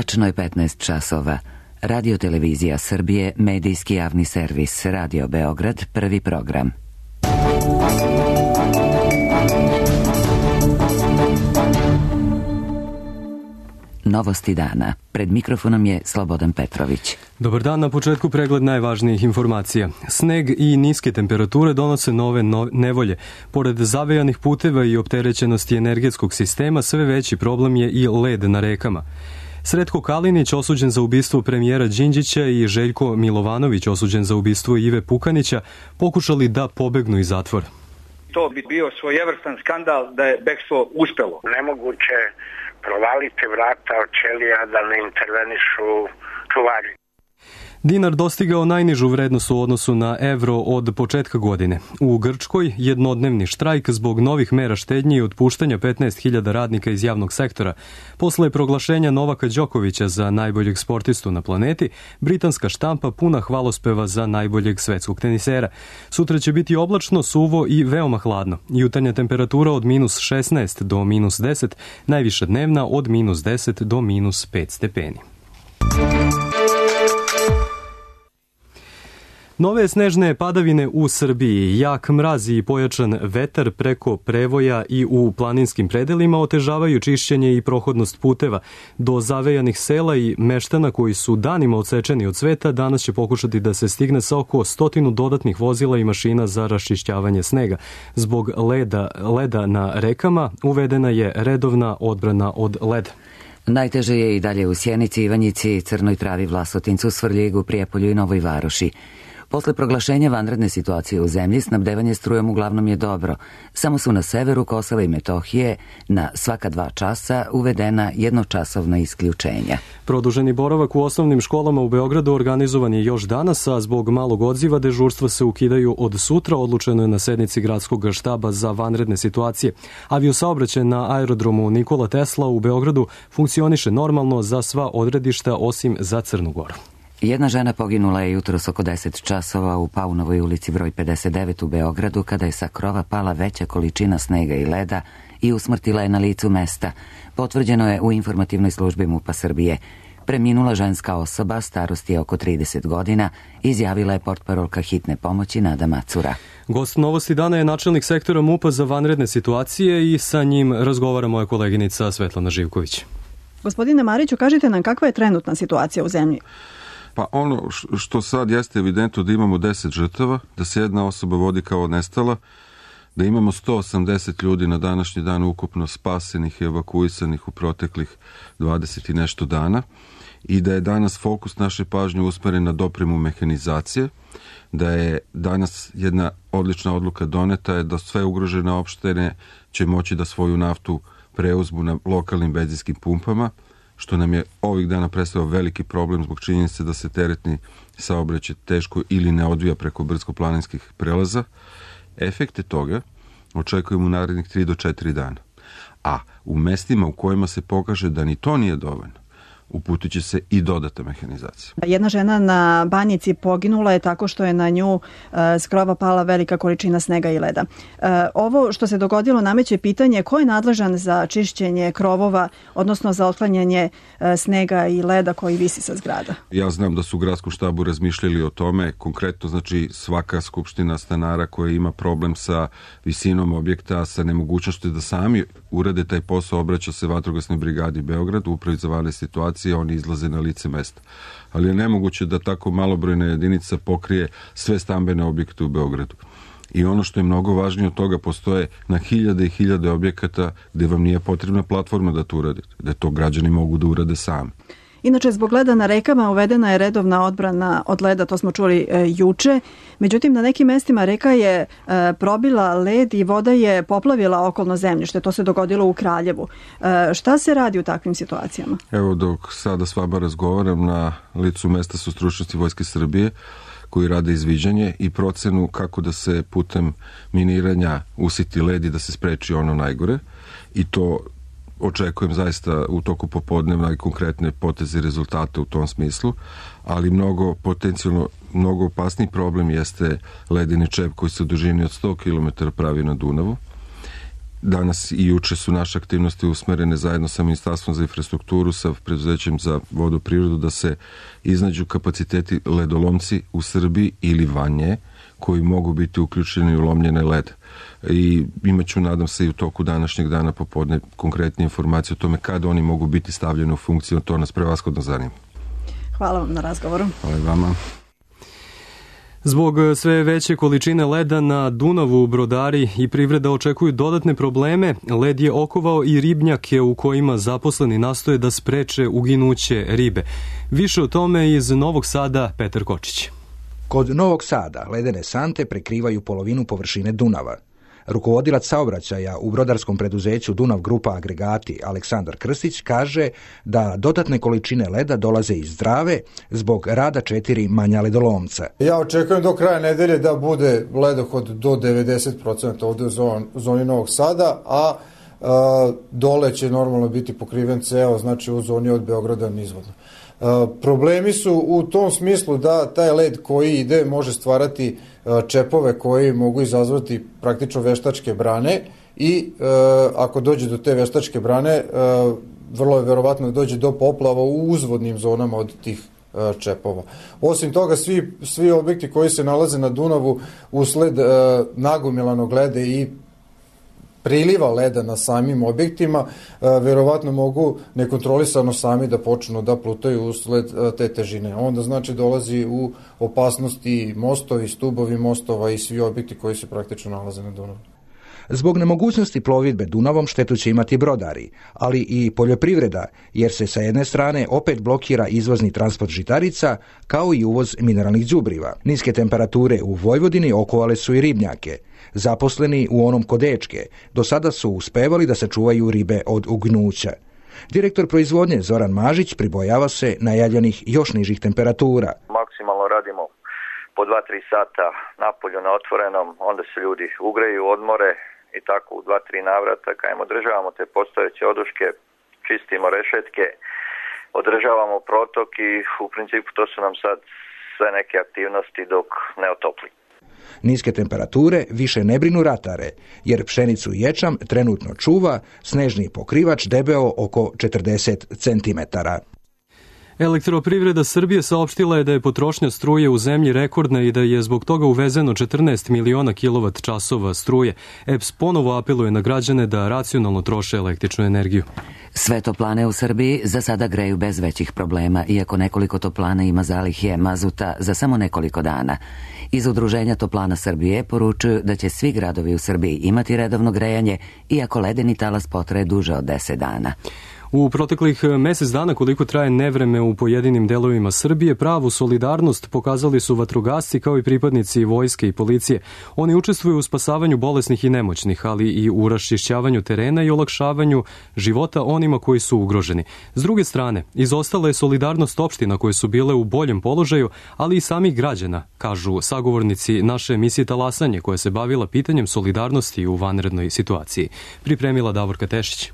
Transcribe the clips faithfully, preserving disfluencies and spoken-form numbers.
Tačno je petnaest časova. Radio Televizija Srbije, medijski javni servis, Radio Beograd, prvi program. Novosti dana. Pred mikrofonom je Slobodan Petrović. Dobar dan, na početku pregled najvažnijih informacija. Sneg i niske temperature donose nove no- nevolje. Pored zavejanih puteva i opterećenosti energetskog sistema, sve veći problem je i led na rekama. Sretko Kalinić osuđen za ubistvo premijera Đinđića i Željko Milovanović osuđen za ubistvo Ive Pukanića pokušali da pobegnu iz zatvora. To bi bio svojevrstan skandal da je bekstvo uspelo. Nemoguće provaliti vrata od ćelija da ne intervenišu čuvari. Dinar dostigao najnižu vrednost u odnosu na evro od početka godine. U Grčkoj jednodnevni štrajk zbog novih mera štednje i otpuštanja petnaest hiljada radnika iz javnog sektora. Posle proglašenja Novaka Đokovića za najboljeg sportistu na planeti, britanska štampa puna hvalospeva za najboljeg svetskog tenisera. Sutra će biti oblačno, suvo i veoma hladno. Jutarnja temperatura od minus šesnaest do minus deset, najviša dnevna od minus deset do minus pet stepeni. Nove snežne padavine u Srbiji, jak mraz i pojačan vetar preko prevoja i u planinskim predelima otežavaju čišćenje i prohodnost puteva. Do zavejanih sela i meštana koji su danima odsečeni od sveta danas će pokušati da se stigne sa oko stotinu dodatnih vozila i mašina za raščišćavanje snega. Zbog leda, leda na rekama uvedena je redovna odbrana od leda. Najteže je i dalje u Sjenici, Ivanjici, Crnoj Travi, Vlasotincu, Svrljigu, Prijepolju i Novoj Varoši. Posle proglašenja vanredne situacije u zemlji, snabdevanje strujom uglavnom je dobro. Samo su na severu Kosova i Metohije na svaka dva časa uvedena jednočasovna isključenja. Produženi boravak u osnovnim školama u Beogradu organizovan je još danas, a zbog malog odziva dežurstva se ukidaju od sutra, odlučeno je na sednici gradskog štaba za vanredne situacije. Aviosaobraćaj na aerodromu Nikola Tesla u Beogradu funkcioniše normalno za sva odredišta osim za Crnu Goru. Jedna žena poginula je jutros oko deset časova u Paunovoj ulici broj pedeset devet u Beogradu kada je sa krova pala veća količina snega i leda i usmrtila je na licu mesta. Potvrđeno je u informativnoj službi MUP-a Srbije. Preminula ženska osoba, starosti je oko trideset godina, izjavila je portparolka hitne pomoći Nada Macura. Gost Novosti dana je načelnik sektora MUP-a za vanredne situacije i sa njim razgovara moja koleginica Svetlana Živković. Gospodine Mariću, kažite nam kakva je trenutna situacija u zemlji? Pa ono što sad jeste evidentno da imamo deset žrtava, da se jedna osoba vodi kao nestala, da imamo sto osamdeset ljudi na današnji dan ukupno spasenih i evakuisanih u proteklih dvadeset i nešto dana i da je danas fokus naše pažnje usmeren na dopremu mehanizacije, da je danas jedna odlična odluka doneta je da sve ugrožene opštine će moći da svoju naftu preuzmu na lokalnim benzinskim pumpama, što nam je ovih dana predstavio veliki problem zbog činjenice da se teretni saobraćaj teško ili ne odvija preko brdsko-planinskih prelaza. Efekte toga očekujemo u narednih tri do četiri dana. A u mestima u kojima se pokaže da ni to nije dovoljno, uputit će se i dodata mehanizacija. Jedna žena na Banjici poginula je tako što je na nju uh, s krova pala velika količina snega i leda. Uh, ovo što se dogodilo nameće pitanje ko je nadležan za čišćenje krovova, odnosno za otklanjanje uh, snega i leda koji visi sa zgrada. Ja znam da su u gradskom štabu razmišljali o tome, konkretno znači svaka skupština stanara koja ima problem sa visinom objekta, sa nemogućnošću da sami urade taj posao, obraća se vatrogasnoj brigadi Beograd, upravi za vanredne situacije, oni izlaze na lice mesta. Ali je nemoguće da tako malobrojna jedinica pokrije sve stambene objekte u Beogradu. I ono što je mnogo važnije od toga, postoje na hiljade i hiljade objekata gde vam nije potrebna platforma da to uradite, da to građani mogu da urade sami. Inače, zbog leda na rekama uvedena je redovna odbrana od leda, to smo čuli e, juče. Međutim, na nekim mestima reka je e, probila led i voda je poplavila okolno zemljište. To se dogodilo u Kraljevu. E, šta se radi u takvim situacijama? Evo, dok sada s vama razgovaram, na licu mesta su stručnosti Vojske Srbije koji rade izviđanje i procenu kako da se putem miniranja usiti led i da se spreči ono najgore. I to očekujem zaista u toku popodnevna i konkretne poteze i rezultate u tom smislu, ali mnogo potencijalno, mnogo opasniji problem jeste ledeni čep koji se u dužini od sto kilometara pravi na Dunavu danas i juče su naše aktivnosti usmerene zajedno sa Ministarstvom za infrastrukturu, sa preduzećem za vodoprivredu, da se iznađu kapaciteti ledolomci u Srbiji ili van nje, koji mogu biti uključeni u lomljene led. I imaću, nadam se, i u toku današnjeg dana popodne konkretne informacije o tome kada oni mogu biti stavljeni u funkciju. To nas prevashodno zanima. Hvala vam na razgovoru. Hvala i vama. Zbog sve veće količine leda na Dunavu brodari i privreda očekuju dodatne probleme. Led je okovao i ribnjake u kojima zaposleni nastoje da spreče uginuće ribe. Više o tome iz Novog Sada Petar Kočić. Kod Novog Sada ledene sante prekrivaju polovinu površine Dunava. Rukovodilac saobraćaja u brodarskom preduzeću Dunav Grupa Agregati Aleksandar Krstić kaže da dodatne količine leda dolaze iz Drave zbog rada četiri manja ledolomca. Ja očekujem do kraja nedelje da bude ledohod do devedeset posto ovde u zoni Novog Sada, a e, dole će normalno biti pokriven ceo, znači u zoni od Beograda nizvodno. E, problemi su u tom smislu da taj led koji ide može stvarati čepove koji mogu izazvati praktično veštačke brane i e, ako dođe do te veštačke brane, e, vrlo je verovatno da dođe do poplava u uzvodnim zonama od tih e, čepova. Osim toga, svi, svi objekti koji se nalaze na Dunavu usled e, nagomilanog leda i priliva leda na samim objektima, verovatno mogu nekontrolisano sami da počnu da plutaju usled te težine. Onda znači dolazi u opasnosti mostovi, stubovi mostova i svi objekti koji se praktično nalaze na Dunavu. Zbog nemogućnosti plovidbe Dunavom štetu će imati brodari, ali i poljoprivreda, jer se sa jedne strane opet blokira izvozni transport žitarica, kao i uvoz mineralnih đubriva. Niske temperature u Vojvodini okovale su i ribnjake. Zaposleni u onom kod Dečke do sada su uspevali da sačuvaju ribe od ugnuća. Direktor proizvodnje Zoran Mažić pribojava se najavljenih još nižih temperatura. Maksimalno radimo po dva do tri sata napolju na otvorenom, onda se ljudi ugreju, odmore i tako u dva do tri navrata. Kajem održavamo te postojeće oduške, čistimo rešetke, održavamo protok i u principu to su nam sad sve neke aktivnosti dok ne otopli. Niske temperature više ne brinu ratare, jer pšenicu i ječam trenutno čuva snežni pokrivač debeo oko četrdeset centimetara. Elektroprivreda Srbije saopštila je da je potrošnja struje u zemlji rekordna i da je zbog toga uvezeno četrnaest miliona kilovat časova struje. E P S ponovo apeluje na građane da racionalno troše električnu energiju. Sve toplane u Srbiji za sada greju bez većih problema, iako nekoliko toplana ima zalihe mazuta za samo nekoliko dana. Iz Udruženja toplana Srbije poručuju da će svi gradovi u Srbiji imati redovno grejanje, iako ledeni talas potraje duže od deset dana. U proteklih mesec dana koliko traje nevreme u pojedinim delovima Srbije, pravu solidarnost pokazali su vatrogasci kao i pripadnici vojske i policije. Oni učestvuju u spasavanju bolesnih i nemoćnih, ali i u raščišćavanju terena i olakšavanju života onima koji su ugroženi. S druge strane, izostala je solidarnost opština koje su bile u boljem položaju, ali i samih građana, kažu sagovornici naše emisije Talasanje, koja se bavila pitanjem solidarnosti u vanrednoj situaciji. Pripremila Davorka Tešić.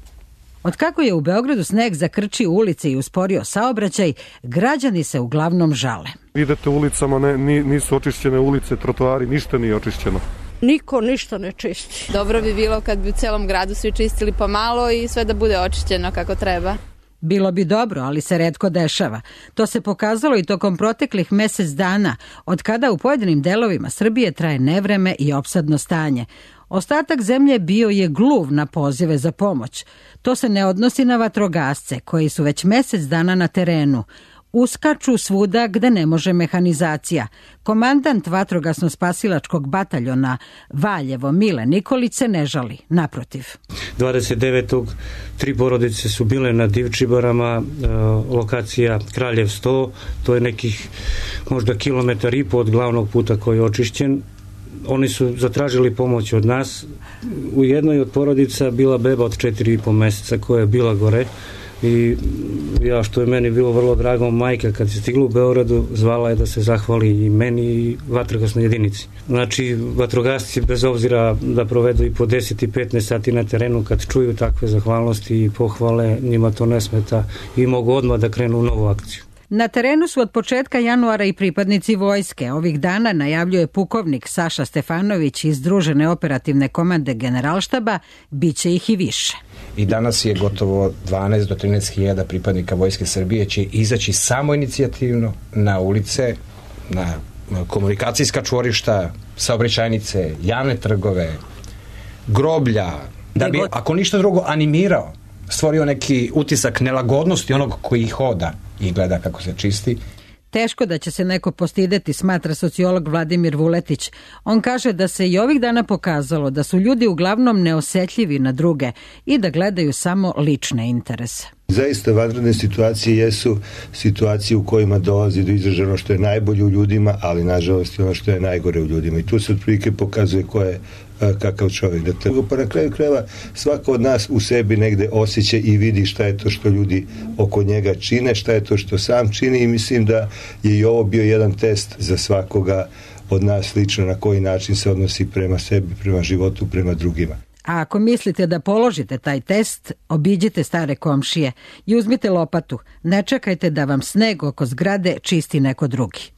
Od kako je u Beogradu sneg zakrčio ulice i usporio saobraćaj, građani se uglavnom žale. Idete ulicama, ne, nisu očišćene ulice, trotoari, ništa nije očišćeno. Niko ništa ne čisti. Dobro bi bilo kad bi u celom gradu svi čistili pomalo i sve da bude očišćeno kako treba. Bilo bi dobro, ali se retko dešava. To se pokazalo i tokom proteklih mesec dana, od kada u pojedinim delovima Srbije traje nevreme i opsadno stanje. Ostatak zemlje bio je gluv na pozive za pomoć. To se ne odnosi na vatrogasce, koji su već mesec dana na terenu. Uskaču svuda gde ne može mehanizacija. Komandant vatrogasno-spasilačkog bataljona Valjevo Mile Nikolić se ne žali, naprotiv. dvadeset devetog tri porodice su bile na Divčibarama, lokacija Kraljev sto, to je nekih možda kilometar i po od glavnog puta koji je očišćen. Oni su zatražili pomoć od nas. U jednoj od porodica bila beba od četiri i po meseca koja je bila gore i ja, što je meni bilo vrlo drago, majka kad se stigla u Beogradu zvala je da se zahvali i meni i vatrogasnoj jedinici. Znači, vatrogasci bez obzira da provedu i po deset i petnaest sati na terenu, kad čuju takve zahvalnosti i pohvale, njima to ne smeta i mogu odmah da krenu u novu akciju. Na terenu su od početka januara i pripadnici vojske. Ovih dana najavljuje pukovnik Saša Stefanović iz Združene operativne komande Generalštaba, bit će ih i više. I danas je gotovo dvanaest do trinaest hiljada pripadnika Vojske Srbije će izaći samoinicijativno na ulice, na komunikacijska čvorišta, saobraćajnice, javne trgove, groblja, da bi, ako ništa drugo, animirao, stvorio neki utisak nelagodnosti onog koji hoda i gleda kako se čisti. Teško da će se neko postideti, smatra sociolog Vladimir Vuletić. On kaže da se i ovih dana pokazalo da su ljudi uglavnom neosetljivi na druge i da gledaju samo lične interese. Zaista vanredne situacije jesu situacije u kojima dolazi do izražaja ono što je najbolje u ljudima, ali nažalost i ono što je najgore u ljudima. I tu se otprilike pokazuje ko je kakav čovjek. Dakle, pa na kraju krajeva svako od nas u sebi negde osjeća i vidi šta je to što ljudi oko njega čine, šta je to što sam čini i mislim da je i ovo bio jedan test za svakoga od nas lično na koji način se odnosi prema sebi, prema životu, prema drugima. A ako mislite da položite taj test, obiđite stare komšije i uzmite lopatu. Ne čekajte da vam sneg oko zgrade čisti neko drugi.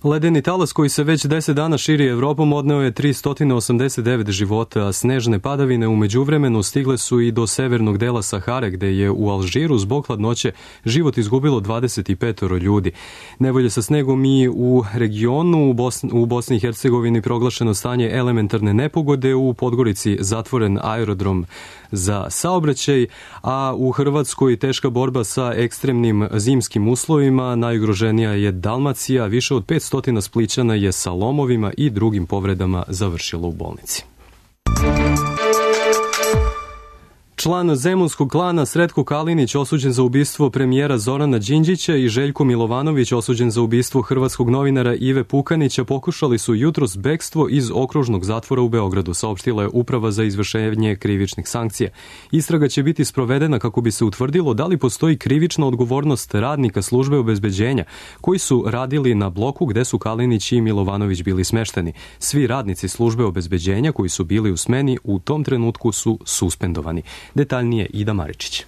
Ledeni talas koji se već deset dana širi Evropom odneo je tristo osamdeset devet života, a snežne padavine u međuvremenu stigle su i do severnog dela Sahare, gde je u Alžiru zbog hladnoće život izgubilo dvadeset pet ljudi. Nevolje sa snegom i u regionu, u Bosni, u Bosni i Hercegovini proglašeno stanje elementarne nepogode, u Podgorici zatvoren aerodrom za saobraćaj, a u Hrvatskoj teška borba sa ekstremnim zimskim uslovima. Najugroženija je Dalmacija, više od petsto Splićana je sa lomovima i drugim povredama završilo u bolnici. Član zemunskog klana Sretko Kalinić osuđen za ubistvo premijera Zorana Đinđića i Željko Milovanović osuđen za ubistvo hrvatskog novinara Ive Pukanića pokušali su jutros bekstvo iz okružnog zatvora u Beogradu, saopštila je Uprava za izvršenje krivičnih sankcija. Istraga će biti sprovedena kako bi se utvrdilo da li postoji krivična odgovornost radnika službe obezbeđenja koji su radili na bloku gde su Kalinić i Milovanović bili smešteni. Svi radnici službe obezbeđenja koji su bili u smeni u tom trenutku su suspendovani. Detaljnije Ida Maričić.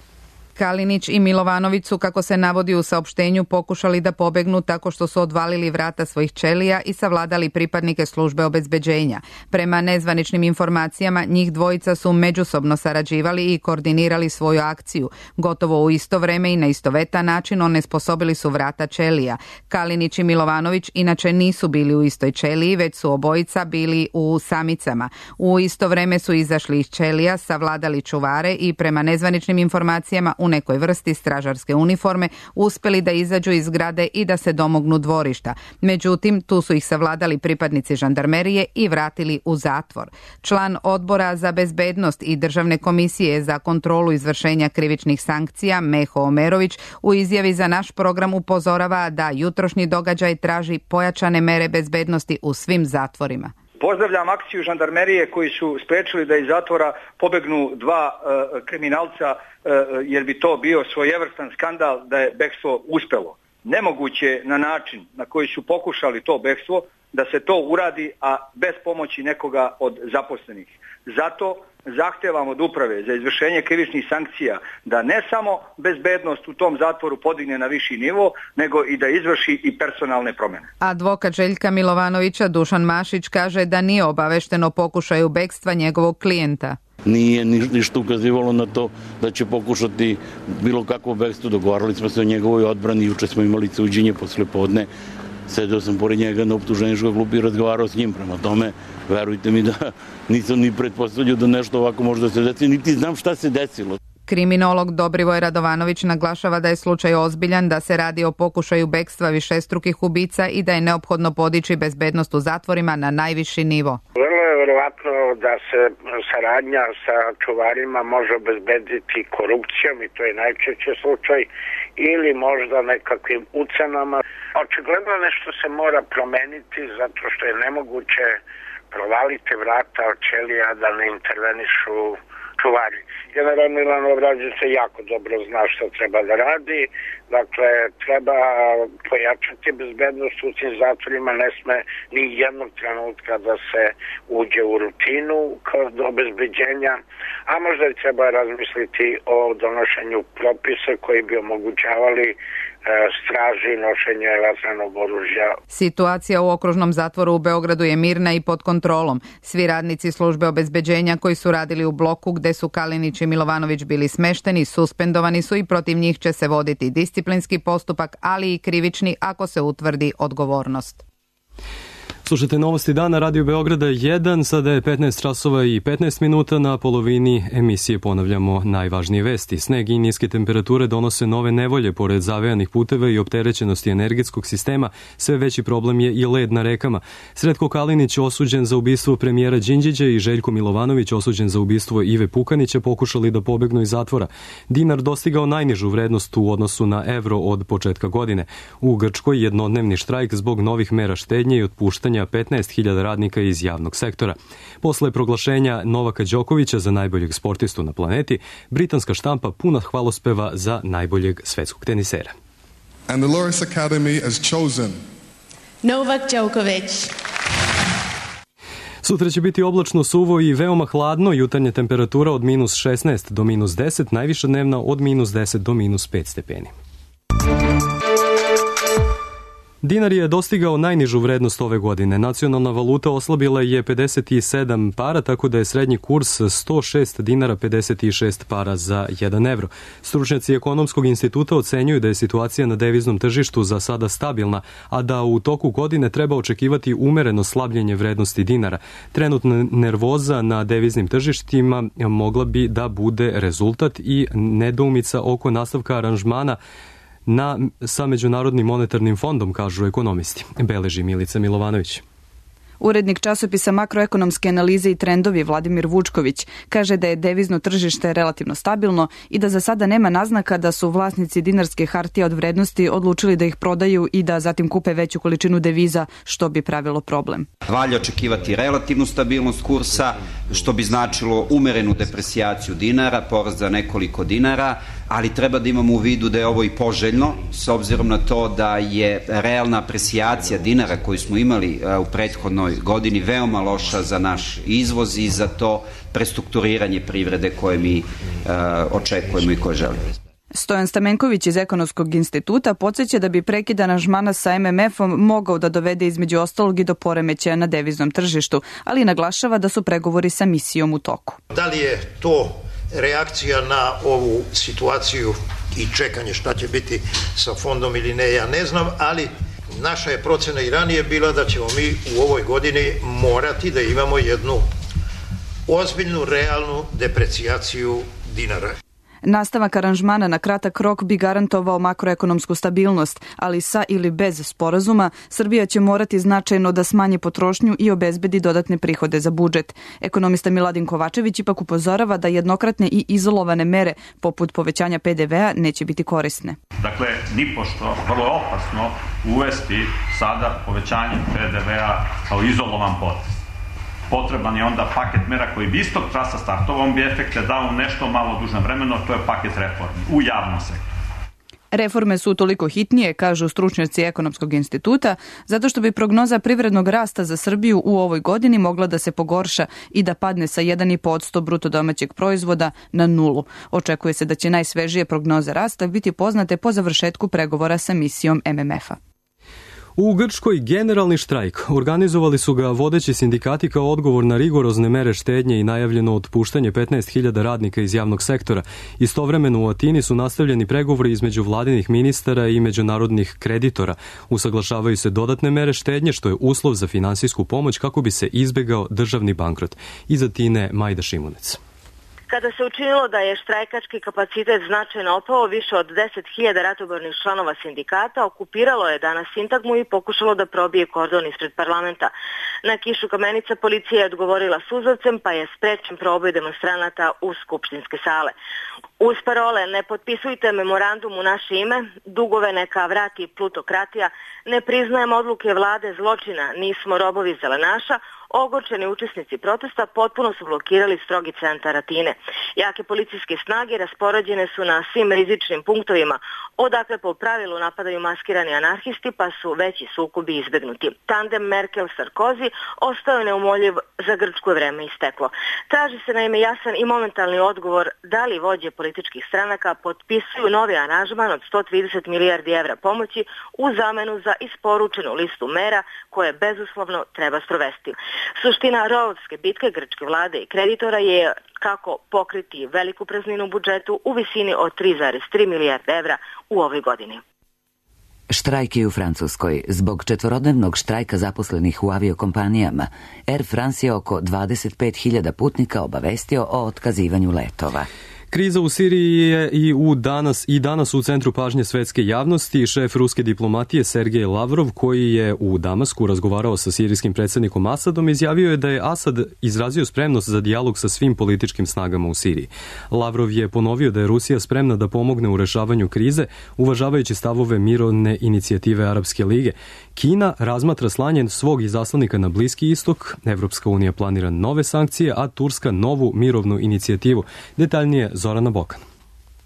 Kalinić i Milovanović su, kako se navodi u saopštenju, pokušali da pobegnu tako što su odvalili vrata svojih ćelija i savladali pripadnike službe obezbeđenja. Prema nezvaničnim informacijama, njih dvojica su međusobno sarađivali i koordinirali svoju akciju. Gotovo u isto vreme i na istovetan način onesposobili su vrata ćelija. Kalinić i Milovanović inače nisu bili u istoj ćeliji, već su obojica bili u samicama. U isto vreme su izašli iz ćelija, savladali čuvare i prema nezvaničnim informacijama u nekoj vrsti stražarske uniforme uspeli da izađu iz zgrade i da se domognu dvorišta. Međutim, tu su ih savladali pripadnici žandarmerije i vratili u zatvor. Član Odbora za bezbednost i Državne komisije za kontrolu izvršenja krivičnih sankcija Meho Omerović u izjavi za naš program upozorava da jutrošnji događaj traži pojačane mere bezbednosti u svim zatvorima. Pozdravljam akciju žandarmerije koji su sprečili da iz zatvora pobegnu dva uh, kriminalca uh, jer bi to bio svojevrstan skandal da je bekstvo uspelo. Nemoguće na način na koji su pokušali to bekstvo da se to uradi, a bez pomoći nekoga od zaposlenih. Zato zahtevam od Uprave za izvršenje krivičnih sankcija da ne samo bezbednost u tom zatvoru podigne na viši nivo, nego i da izvrši i personalne promjene. Advokat Željka Milovanovića Dušan Mašić kaže da nije obavešten o pokušaju bekstva njegovog klijenta. Nije ništa ukazivalo na to da će pokušati bilo kakvo bekstvo. Dogovarali smo se o njegovoj odbrani, juče smo imali suđenje posle podne. Sedeo sam pored njega na optuženičkoj klupi i razgovarao s njim. Prema tome, verujte mi da nisam ni pretpostavljao da nešto ovako može da se desi, niti znam šta se desilo. Kriminolog Dobrivoj Radovanović naglašava da je slučaj ozbiljan, da se radi o pokušaju bekstva višestrukih ubica i da je neophodno podići bezbednost u zatvorima na najviši nivo. Vrlo je verovatno da se saradnja sa čuvarima može obezbediti korupcijom i to je najčešći slučaj ili možda nekakvim ucenama. Očigledno nešto se mora promeniti zato što je nemoguće provaliti vrata od ćelija da ne intervenišu čuvari. General Milan Obrađić se jako dobro zna što treba da radi, dakle treba pojačati bezbednost u tim zatvorima, ne sme ni jednog trenutka da se uđe u rutinu kod obezbeđenja, a možda i treba razmisliti o donošenju propisa koji bi omogućavali straži, nošenje vatrenog oružja. Situacija u okružnom zatvoru u Beogradu je mirna i pod kontrolom. Svi radnici službe obezbeđenja koji su radili u bloku gde su Kalinić i Milovanović bili smešteni, suspendovani su i protiv njih će se voditi disciplinski postupak, ali i krivični ako se utvrdi odgovornost. Slušajte novosti dana Radio Beograda jedan, sada je petnaest časova i petnaest minuta, na polovini emisije ponavljamo najvažnije vesti. Sneg i niske temperature donose nove nevolje, pored zavejanih puteva i opterećenosti energetskog sistema, sve veći problem je i led na rekama. Sretko Kalinić osuđen za ubistvo premijera Đinđića i Željko Milovanović osuđen za ubistvo Ive Pukanića pokušali da pobegnu iz zatvora. Dinar dostigao najnižu vrednost u odnosu na evro od početka godine. U Grčkoj jednodnevni štrajk zbog novih mera štednje i otpuštanja petnaest hiljada radnika iz javnog sektora. Posle proglašenja Novaka Đokovića za najboljeg sportistu na planeti, britanska štampa puna hvalospeva za najboljeg svetskog tenisera. And the Loris Academy has chosen Novak Djokovic. Sutra će biti oblačno, suvo i veoma hladno, jutarnja temperatura od minus šesnaest do minus deset, najviša dnevna od minus deset do minus pet stepeni. Dinar je dostigao najnižu vrednost ove godine. Nacionalna valuta oslabila je pedeset sedam para, tako da je srednji kurs sto šest dinara pedeset šest para za jedan evro. Stručnjaci Ekonomskog instituta ocenjuju da je situacija na deviznom tržištu za sada stabilna, a da u toku godine treba očekivati umereno slabljenje vrednosti dinara. Trenutna nervoza na deviznim tržištima mogla bi da bude rezultat i nedoumica oko nastavka aranžmana na, sa Međunarodnim monetarnim fondom, kažu ekonomisti. Beleži Milica Milovanović. Urednik časopisa Makroekonomske analize i trendovi Vladimir Vučković kaže da je devizno tržište relativno stabilno i da za sada nema naznaka da su vlasnici dinarske hartije od vrednosti odlučili da ih prodaju i da zatim kupe veću količinu deviza, što bi pravilo problem. Valja očekivati relativnu stabilnost kursa, što bi značilo umerenu depresijaciju dinara, porast za nekoliko dinara, ali treba da imamo u vidu da je ovo i poželjno, s obzirom na to da je realna apresijacija dinara koju smo imali u prethodnoj godini veoma loša za naš izvoz i za to prestrukturiranje privrede koje mi uh, očekujemo i koje želimo. Stojan Stamenković iz Ekonomskog instituta podsjeća da bi prekid aranžmana sa em em efom mogao da dovede između ostalog i do poremećaja na deviznom tržištu, ali naglašava da su pregovori sa misijom u toku. Da li je to reakcija na ovu situaciju i čekanje šta će biti sa fondom ili ne, ja ne znam, ali naša je procena i ranije bila da ćemo mi u ovoj godini morati da imamo jednu ozbiljnu, realnu deprecijaciju dinara. Nastavak aranžmana na kratak rok bi garantovao makroekonomsku stabilnost, ali sa ili bez sporazuma Srbija će morati značajno da smanji potrošnju i obezbedi dodatne prihode za budžet. Ekonomista Miladin Kovačević ipak upozorava da jednokratne i izolovane mere poput povećanja pe de vea neće biti korisne. Dakle, nipošto vrlo je opasno uvesti sada povećanje pe de vea kao izolovan potez. Potreban je onda paket mera koji bi istog trasa startovao, on bi efekte dao u nešto malo dužem vremenu, to je paket reformi u javnom sektoru. Reforme su toliko hitnije, kažu stručnjaci Ekonomskog instituta, zato što bi prognoza privrednog rasta za Srbiju u ovoj godini mogla da se pogorša i da padne sa jedan zarez pet posto bruto domaćeg proizvoda na nulu. Očekuje se da će najsvežije prognoze rasta biti poznate po završetku pregovora sa misijom em em efa. U Grčkoj generalni štrajk. Organizovali su ga vodeći sindikati kao odgovor na rigorozne mere štednje i najavljeno otpuštanje petnaest hiljada radnika iz javnog sektora. Istovremeno u Atini su nastavljeni pregovori između vladinih ministara i međunarodnih kreditora. Usaglašavaju se dodatne mere štednje, što je uslov za finansijsku pomoć kako bi se izbegao državni bankrot. Iz Atine Majda Šimunec. Kada se učinilo da je štrajkački kapacitet značajno opao, više od deset hiljada ratobornih članova sindikata okupiralo je danas sintagmu i pokušalo da probije kordon ispred parlamenta. Na kišu kamenica policija je odgovorila suzavcem, pa je sprečen proboj demonstranata u skupštinske sale. Uz parole "Ne potpisujte memorandum u naše ime", "Dugove neka vrati plutokratija", "Ne priznajem odluke vlade zločina, nismo robovi zelenaša", ogorčeni učesnici protesta potpuno su blokirali strogi centar Atine. Jake policijske snage raspoređene su na svim rizičnim punktovima, odakle po pravilu napadaju maskirani anarhisti, pa su veći sukobi izbegnuti. Tandem Merkel-Sarkozy ostao je neumoljiv, za Grčku je vreme isteklo. Traži se naime jasan i momentalni odgovor da li vođe političkih stranaka potpisuju novi aranžman od sto trideset milijardi evra pomoći u zamenu za isporučenu listu mera koje bezuslovno treba sprovesti. Suština rovovske bitke grčke vlade i kreditora je kako pokriti veliku prazninu u budžetu u visini od tri zarez tri milijarde evra u ovoj godini. Štrajk je u Francuskoj. Zbog četvorodnevnog štrajka zaposlenih u aviokompanijama, Air France je oko dvadeset pet hiljada putnika obavestio o otkazivanju letova. Kriza u Siriji je i u danas i danas u centru pažnje svetske javnosti. Šef ruske diplomatije Sergej Lavrov, koji je u Damasku razgovarao sa sirijskim predsjednikom Asadom, izjavio je da je Asad izrazio spremnost za dijalog sa svim političkim snagama u Siriji. Lavrov je ponovio da je Rusija spremna da pomogne u rešavanju krize, uvažavajući stavove mirovne inicijative Arapske lige. Kina razmatra slanje svog izaslanika na Bliski istok, Evropska unija planira nove sankcije, a Turska novu mirovnu inicijativu. Detaljnije Zorana Bokan.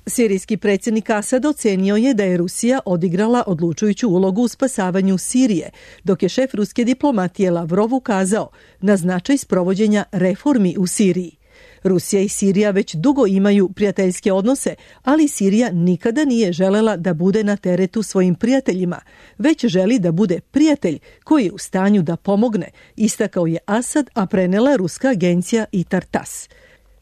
Sirijski predsjednik Asad ocenio je da je Rusija odigrala odlučujuću ulogu u spasavanju Sirije, dok je šef ruske diplomatije Lavrov ukazao na značaj sprovođenja reformi u Siriji. Rusija i Sirija već dugo imaju prijateljske odnose, ali Sirija nikada nije želela da bude na teretu svojim prijateljima, već želi da bude prijatelj koji je u stanju da pomogne, istakao je Asad, a prenela je ruska agencija Itar Tas.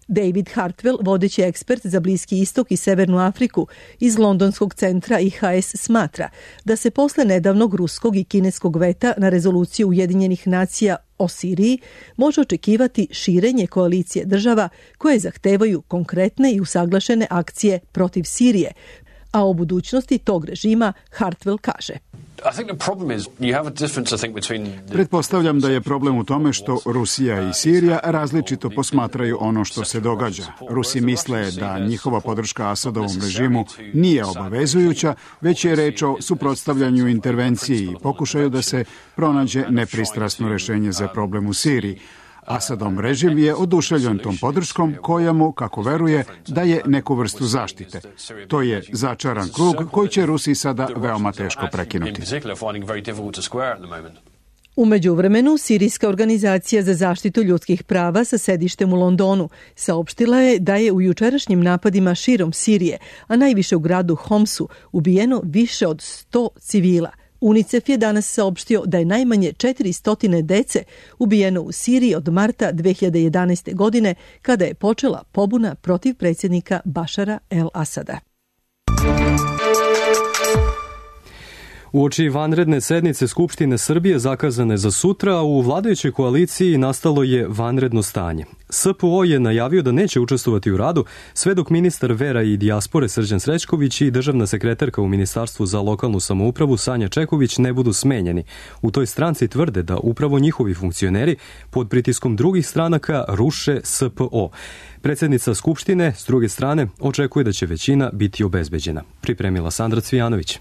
David Hartwell, vodeći ekspert za Bliski istok i Severnu Afriku iz londonskog centra I H S, smatra da se posle nedavnog ruskog i kineskog veta na rezoluciju Ujedinjenih nacija o Siriji može očekivati širenje koalicije država koje zahtevaju konkretne i usaglašene akcije protiv Sirije, a o budućnosti tog režima Hartwell kaže: Pretpostavljam da je problem u tome što Rusija i Sirija različito posmatraju ono što se događa. Rusi misle da njihova podrška Asadovom režimu nije obavezujuća, već je reč o suprotstavljanju intervenciji i pokušaju da se pronađe nepristrasno rešenje za problem u Siriji. Asadov režim je oduševljen tom podrškom koja mu, kako veruje, daje neku vrstu zaštite. To je začaran krug koji će Rusiji sada veoma teško prekinuti. U međuvremenu, Sirijska organizacija za zaštitu ljudskih prava sa sedištem u Londonu saopštila je da je u jučerašnjim napadima širom Sirije, a najviše u gradu Homsu, ubijeno više od sto civila. UNICEF je danas saopštio da je najmanje četiristo dece ubijeno u Siriji od marta dve hiljade jedanaeste. godine, kada je počela pobuna protiv predsjednika Bašara el-Asada. Uoči vanredne sednice Skupštine Srbije zakazane za sutra, u vladajućoj koaliciji nastalo je vanredno stanje. S P O je najavio da neće učestvovati u radu sve dok ministar vera i dijaspore Srđan Srećković i državna sekretarka u Ministarstvu za lokalnu samoupravu Sanja Čeković ne budu smenjeni. U toj stranci tvrde da upravo njihovi funkcioneri pod pritiskom drugih stranaka ruše S P O. Predsjednica Skupštine, s druge strane, očekuje da će većina biti obezbeđena. Pripremila Sandra Cvijanović.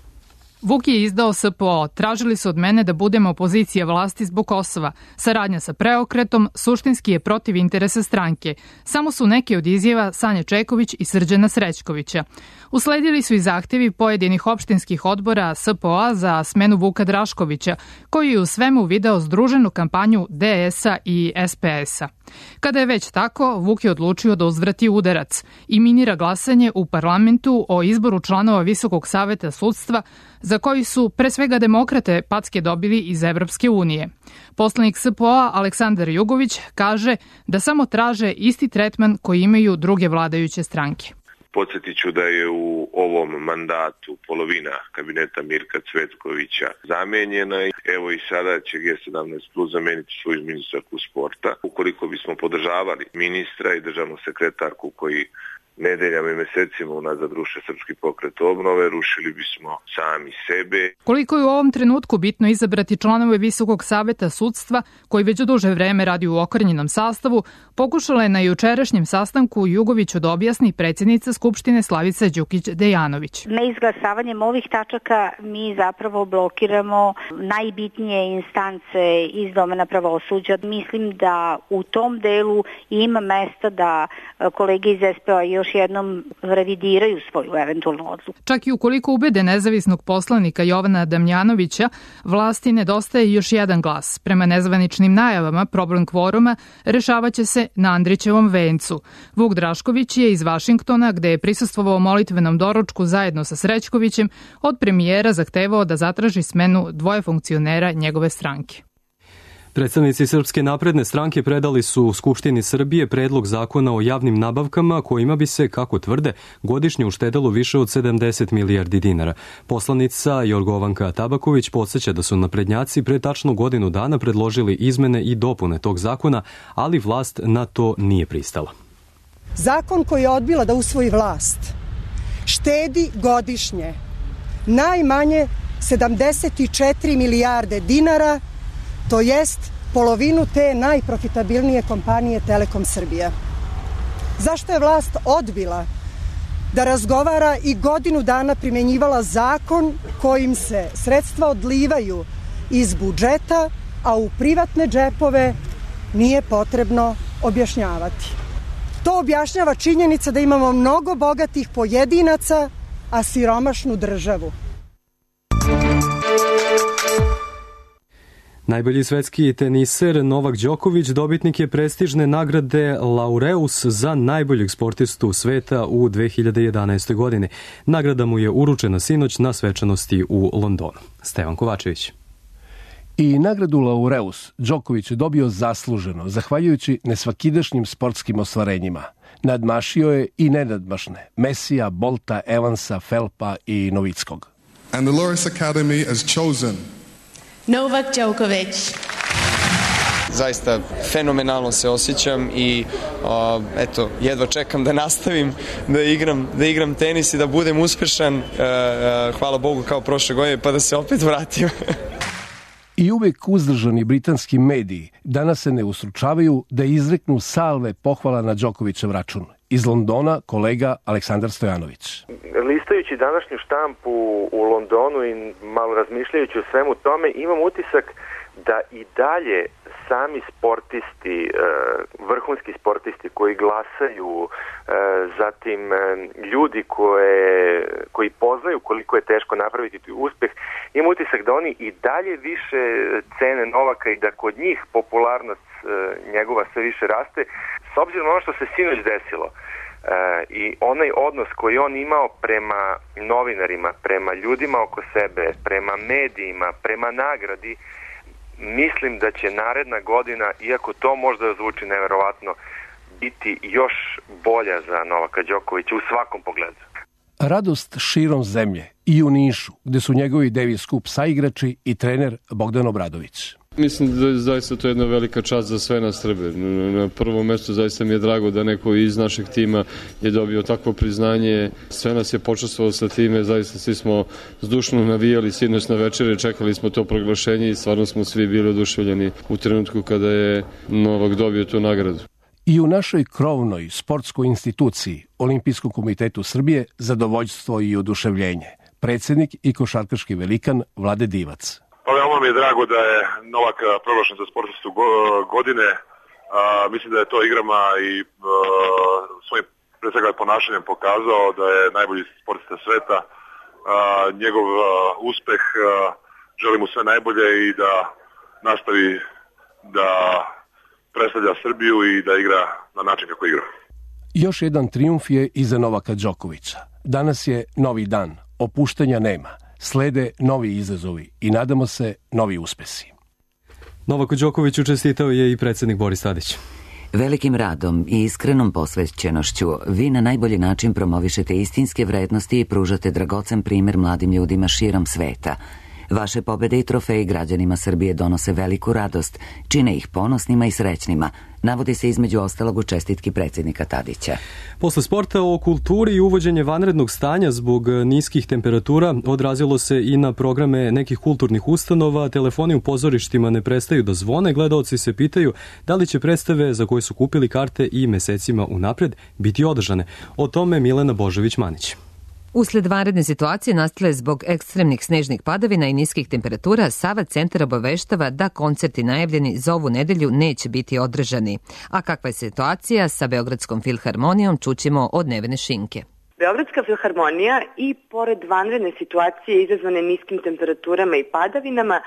Vuk je izdao S P O. Tražili su od mene da budem opozicija vlasti zbog Kosova. Saradnja sa preokretom suštinski je protiv interesa stranke. Samo su neke od izjava Sanje Čeković i Srđana Srećkovića. Usledili su i zahtjevi pojedinih opštinskih odbora S P O-a za smenu Vuka Draškovića, koji je u svemu video združenu kampanju D S-a i S P S-a. Kada je već tako, Vuk je odlučio da uzvrati udarac i minira glasanje u parlamentu o izboru članova Visokog saveta sudstva, za koji su pre svega demokrate packe dobili iz Evropske unije. Poslanik S P O-a Aleksandar Jugović kaže da samo traže isti tretman koji imaju druge vladajuće stranke. Podsjetit ću da je u ovom mandatu polovina kabineta Mirka Cvetkovića zamenjena. Evo i sada će G sedamnaest plus zameniti svoju ministarku sporta. Ukoliko bismo podržavali ministra i državnu sekretarku koji nedeljama i mesecima unazad ruše Srpski pokret obnove, rušili bismo sami sebe. Koliko je u ovom trenutku bitno izabrati članove Visokog saveta sudstva, koji već duže vreme radi u okrnjenom sastavu, pokušala je na jučerašnjem sastanku Jugoviću da objasni predsjednica Skupštine Slavica Đukić-Dejanović. Neizglasavanjem ovih tačaka mi zapravo blokiramo najbitnije instance iz domena pravosuđa. Mislim da u tom delu ima mesta da kolege iz S P O još jednom revidiraju svoju eventualnu odluku. Čak i ukoliko ubede nezavisnog poslanika Jovana Damjanovića, vlasti nedostaje još jedan glas. Prema nezvaničnim najavama, problem kvoruma rešavaće se na Andrićevom vencu. Vuk Drašković je iz Vašingtona, gde je prisustvovao molitvenom doručku zajedno sa Srećkovićem, od premijera zahtevao da zatraži smenu dvoje funkcionera njegove stranke. Predstavnici Srpske napredne stranke predali su u Skupštini Srbije predlog zakona o javnim nabavkama kojima bi se, kako tvrde, godišnje uštedelo više od sedamdeset milijardi dinara. Poslanica Jorgovanka Tabaković podsjeća da su naprednjaci pre tačno godinu dana predložili izmene i dopune tog zakona, ali vlast na to nije pristala. Zakon koji je odbila da usvoji vlast štedi godišnje najmanje sedamdeset četiri milijarde dinara, to jest polovinu te najprofitabilnije kompanije Telekom Srbija. Zašto je vlast odbila da razgovara i godinu dana primenjivala zakon kojim se sredstva odlivaju iz budžeta, a u privatne džepove nije potrebno objašnjavati? To objašnjava činjenica da imamo mnogo bogatih pojedinaca, a siromašnu državu. Najbolji svetski teniser Novak Đoković dobitnik je prestižne nagrade Laureus za najboljeg sportistu sveta u dve hiljade jedanaestoj. godine. Nagrada mu je uručena sinoć na svečanosti u Londonu. Stevan Kovačević. I nagradu Laureus Đoković je dobio zasluženo, zahvaljujući nesvakidašnjim sportskim ostvarenjima. Nadmašio je i nenadmašne Mesija, Bolta, Evansa, Phelpa i Novickog. And the Laureus Academy has chosen Novak Đoković. Zaista fenomenalno se osjećam i uh, eto, jedva čekam da nastavim da igram, da igram tenis i da budem uspešan, uh, uh, hvala Bogu kao prošle godine, pa da se opet vratim. I uvek uzdržani britanski mediji danas se ne ustručavaju da izreknu salve pohvala na Đokovićev račun. Iz Londona kolega Aleksandar Stojanović. Listajući današnju štampu u Londonu i malo razmišljajući o svemu tome, imam utisak da i dalje sami sportisti, vrhunski sportisti koji glasaju, zatim ljudi koje, koji poznaju koliko je teško napraviti uspeh, imam utisak da oni i dalje više cene Novaka i da kod njih popularnost njegova sve više raste, s obzirom na ono što se sinoć desilo. Uh, i onaj odnos koji on imao prema novinarima, prema ljudima oko sebe, prema medijima, prema nagradi, mislim da će naredna godina, iako to možda zvuči neverovatno, biti još bolja za Novaka Đokovića u svakom pogledu. Radost širom zemlje i u Nišu, gde su njegovi Davis Cup saigrači i trener Bogdan Obradović. Mislim da je zaista to jedna velika čast za sve nas Srbe. Na prvom mestu zaista mi je drago da neko iz našeg tima je dobio takvo priznanje. Sve nas je počastvovalo sa time, zaista svi smo zdušno navijali sinoć na večere, čekali smo to proglašenje i stvarno smo svi bili oduševljeni u trenutku kada je Novak dobio tu nagradu. I u našoj krovnoj sportskoj instituciji, Olimpijskom komitetu Srbije, zadovoljstvo i oduševljenje. Predsednik i košarkaški velikan Vlade Divac. Pa veoma mi je drago da je Novak proglašen za sportistu godine. A, mislim da je to igrama i a, svojim pre svega ponašanjem pokazao da je najbolji sportista sveta. A, njegov a, uspeh, a, želim mu sve najbolje i da nastavi da predstavlja Srbiju i da igra na način kako igra. Još jedan trijumf je iza Novaka Đokovića. Danas je novi dan, opuštanja nema. Slede novi izazovi i nadamo se novi uspesi. Novaku Đokoviću čestitao je i predsjednik Boris Tadić. Velikim radom i iskrenom posvećenošću vi na najbolji način promovišete istinske vrednosti i pružate dragocen primjer mladim ljudima širom sveta. Vaše pobede i trofeji građanima Srbije donose veliku radost, čine ih ponosnima i srećnima, navodi se između ostalog u čestitki predsjednika Tadića. Posle sporta o kulturi i uvođenje vanrednog stanja zbog niskih temperatura odrazilo se i na programe nekih kulturnih ustanova, telefoni u pozorištima ne prestaju da zvone, gledaoci se pitaju da li će predstave za koje su kupili karte i mesecima unapred biti održane. O tome Milena Božović-Manić. Usled vanredne situacije nastale zbog ekstremnih snežnih padavina i niskih temperatura, Sava centar obaveštava da koncerti najavljeni za ovu nedelju neće biti održani. A kakva je situacija sa Beogradskom filharmonijom, čućemo od Nevene Šinke. Beogradska filharmonija i pored vanredne situacije izazvane niskim temperaturama i padavinama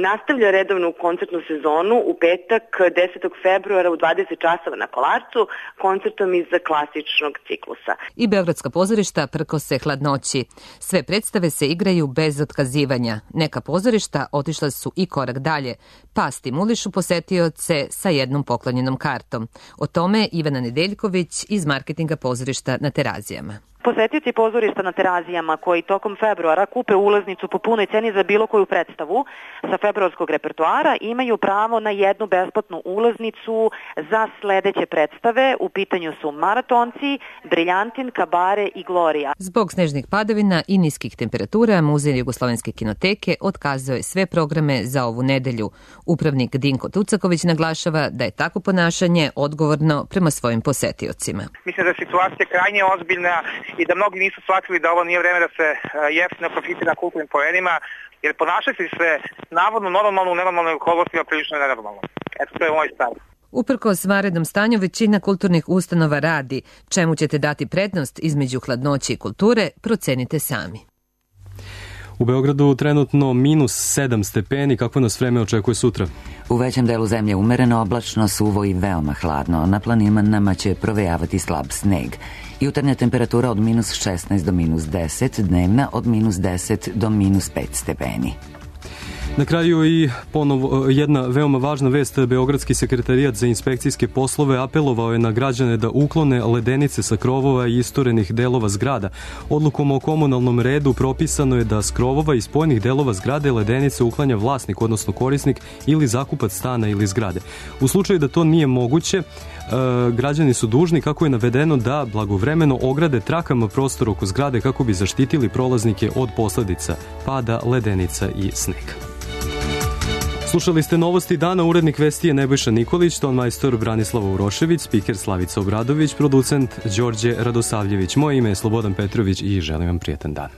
nastavlja redovnu koncertnu sezonu u petak desetog februara u dvadeset časova na Kolarcu koncertom iz klasičnog ciklusa. I beogradska pozorišta prkose hladnoći. Sve predstave se igraju bez otkazivanja. Neka pozorišta otišla su i korak dalje, pa stimulišu posetioce sa jednom poklonjenom kartom. O tome Ivana Nedeljković iz marketinga pozorišta na Terazijama. Posetioci pozorišta na Terazijama koji tokom februara kupe ulaznicu po punoj ceni za bilo koju predstavu sa februarskog repertoara imaju pravo na jednu besplatnu ulaznicu za sledeće predstave. U pitanju su Maratonci, Briljantin, Kabare i Glorija. Zbog snežnih padavina i niskih temperatura, Muzej Jugoslovenske kinoteke otkazao je sve programe za ovu nedelju. Upravnik Dinko Tucaković naglašava da je tako ponašanje odgovorno prema svojim posetiocima. Mislim da je situacija krajnje ozbiljna i da mnogi nisu shvatili da ovo nije vreme da se jeftino profitira kulturnim poenima, jer ponašati se navodno normalno u nenormalnim okolnostima prilično nenormalno. Eto, to je moj stav. Uprkos vanrednom stanju, većina kulturnih ustanova radi. Čemu ćete dati prednost između hladnoće i kulture, procenite sami. U Beogradu trenutno minus sedam stepeni, kako nas vreme očekuje sutra? U većem delu zemlje umereno, oblačno, suvo i veoma hladno. Na planinama će provejavati slab sneg. Jutarnja temperatura od minus šesnaest do minus deset, dnevna od minus deset do minus pet stepeni. Na kraju i ponovo jedna veoma važna vest. Beogradski sekretarijat za inspekcijske poslove apelovao je na građane da uklone ledenice sa krovova i isturenih delova zgrada. Odlukom o komunalnom redu propisano je da s krovova i spojenih delova zgrade ledenice uklanja vlasnik, odnosno korisnik ili zakupac stana ili zgrade. U slučaju da to nije moguće, građani su dužni, kako je navedeno, da blagovremeno ograde trakama prostor oko zgrade kako bi zaštitili prolaznike od posledica pada ledenica i snega. Slušali ste novosti dana, urednik vesti je Nebojša Nikolić, tonmajstor Branislava Urošević, spiker Slavica Obradović, producent Đorđe Radosavljević. Moje ime je Slobodan Petrović i želim vam prijetan dan.